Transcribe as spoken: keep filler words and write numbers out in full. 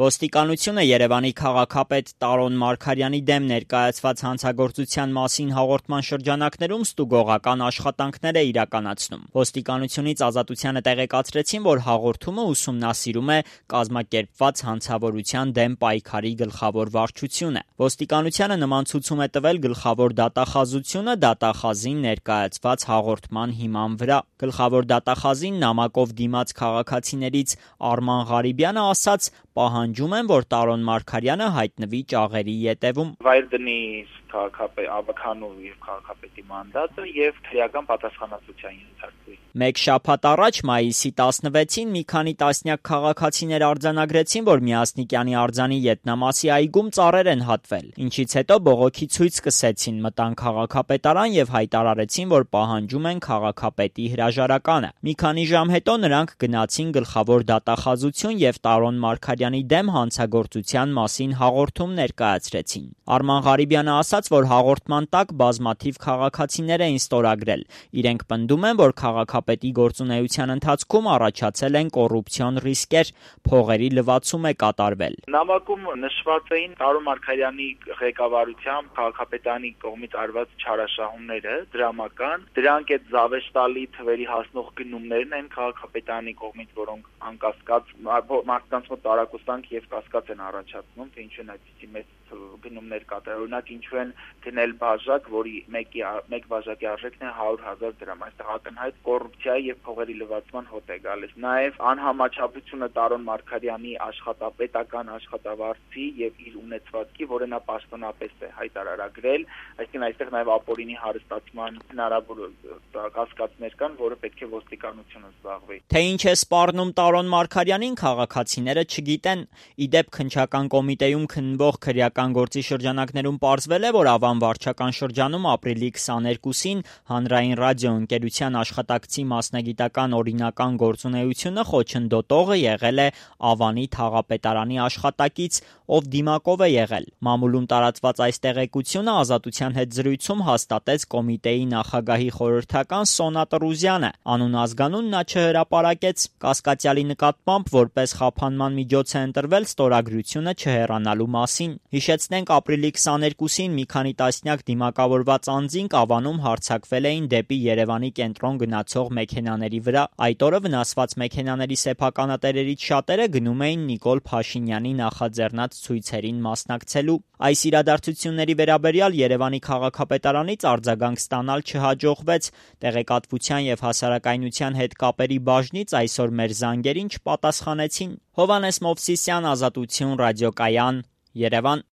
Ոստիկանությունը Երևանի քաղաքապետ Տարոն Մարգարյանի դեմ ներկայացված հանցագործության մասին հաղորդման շրջանակներում ստուգողական աշխատանքներ է իրականացնում։ Ոստիկանությունից Ազատությանը տեղեկացրեցին, որ հաղորդումը ուսումնասիրում է կազմակերպված հանցավորության դեմ պայքարի գլխավոր վարչությունը։ Ոստիկանությանը նման ցուցում է տվել գլխավոր դատախազությունը դատախազին ներկայացված հաղորդման հիման վրա։ Գլխավոր դատախազին նամակով դիմաց քաղաքացիներից Արման Ղարիբյանը ասաց, պահանջում են, որ Տարոն Մարգարյանը հայտնվի ճաղերի ետևում։ Վայր դնի քաղաքապետ Աբաքանու եւ քաղաքապետի մանդատը եւ քրեական պատասխանատվության ենթարկվի։ Մեկ շաբաթ առաջ մայիսի տասնվեցին մի քանի տասնյակ քաղաքացիներ արձանագրեցին, որ Միասնիկյանի արձանի ետնամասի այգում ծառեր են հատվել, ինչից հետո բողոքի ցույց սկսեցին, մտան քաղաքապետարան եւ հայտարարեցին, որ պահանջում են քաղաքապետի հրաժարականը։ Մի քանի ժամ հետո նրանք գնացին գլխավոր դատախազություն եւ Տարոն Մարգարյանի դեմ հանցագործության մասին հաղորդում ներկայացրեցին։ Արման Ղարիբյանը ասաց, որ հաղորդման տակ բազմաթիվ քաղաքացիներ էին ստորագրել։ Իրենք պնդում են, որ քաղաքապետի գործունեության ընթացքում առաջացել են կոռուպցիոն ռիսկեր, փողերի լվացում է կատարվել։ Նամակում նշված էին Տարոն Մարգարյանի ղեկավարությամբ քաղաքապետանի կողմից արված չարաշահումները, դրամական, դրանք այդ զավեշտալի թվերի հասնող գնումներն են քաղաքապետանի կողմից, որոնք անկասկած մարդկանց մոտ տարակուսանք եւ կասկած են առաջացնում, թե ինչու են այդպիսի մեծ գնումներ կատարել։ Օրինակ ինչու են գնել բաժակ, որի մեկի մեկ բաժակի արժեքն է հարյուր հազար դրամ։ Այստեղ ակնհայտ կոռուպցիայի եւ փողերի լվացման հոտ է գալիս։ Նաեւ անհամաչափությունը Տարոն Մարգարյանի աշխատապետական աշխատավարձի եւ իր ունեցվածքի, որը նա պաշտոնապես է հայտարարագրել, այսինքն այստեղ նաեւ ապօրինի հարստացման հնարավոր կասկածներ կան, որը պետք է ոստիկանությունը զբաղվի։ Թե ինչ է սպառնում Տարոն Մարգարյանին, քաղաքացիները չգիտեն։ Իդեպ քննչական կոմիտեում քննվող քրեական գործի շրջանակներում պարզվել է, որ Ավան վարչական շրջանում ապրիլի քսաներկուսին հանրային ռադիոընկերության աշխատակցի մասնագիտական օրինական գործունեությունը խոչընդոտողը եղել է Ավանի թաղապետարանի աշխատակից, ով դիմակով է եղել։ Մամուլում տարածված այս տեղեկությունը Ազատության հետ զրույցում հաստատեց կոմիտեի նախագահի խորհրդական Սոնա Տրուզյանը։ Անուն ազգանուն նա չհրապարակեց։ Կասկածյալի նկատմամբ որպես խափանման միջոց է ընտրվել ստորագրությունը չհեռանալու մասին։ Հիշեցնենք, ապրիլի քսաներկուսին մի քանի տասնյակ դիմակավորված անձինք Ավանում հարձակվել էին դեպի Երևանի կենտրոն գնացող մեքենաների վրա։ Այդ օրը վնասված մեքենաների սեփականատերերից շատերը գնում էին Նիկոլ Փաշինյանի նախաձեռնած ցույցերին մասնակցելու։ Այս իրադարձությունների վերաբերյալ Երևանի քաղաքապետարանից արձագանք ստանալ չհաջողվեց։ Տեղեկատվության եւ հասարակայնության հետ կապերի բաժնից այսօր մեր զանգերին չպատասխանեցին։ Հովհաննես Մովսիսյան, Ազատություն, ռադիոկայան, Երևան։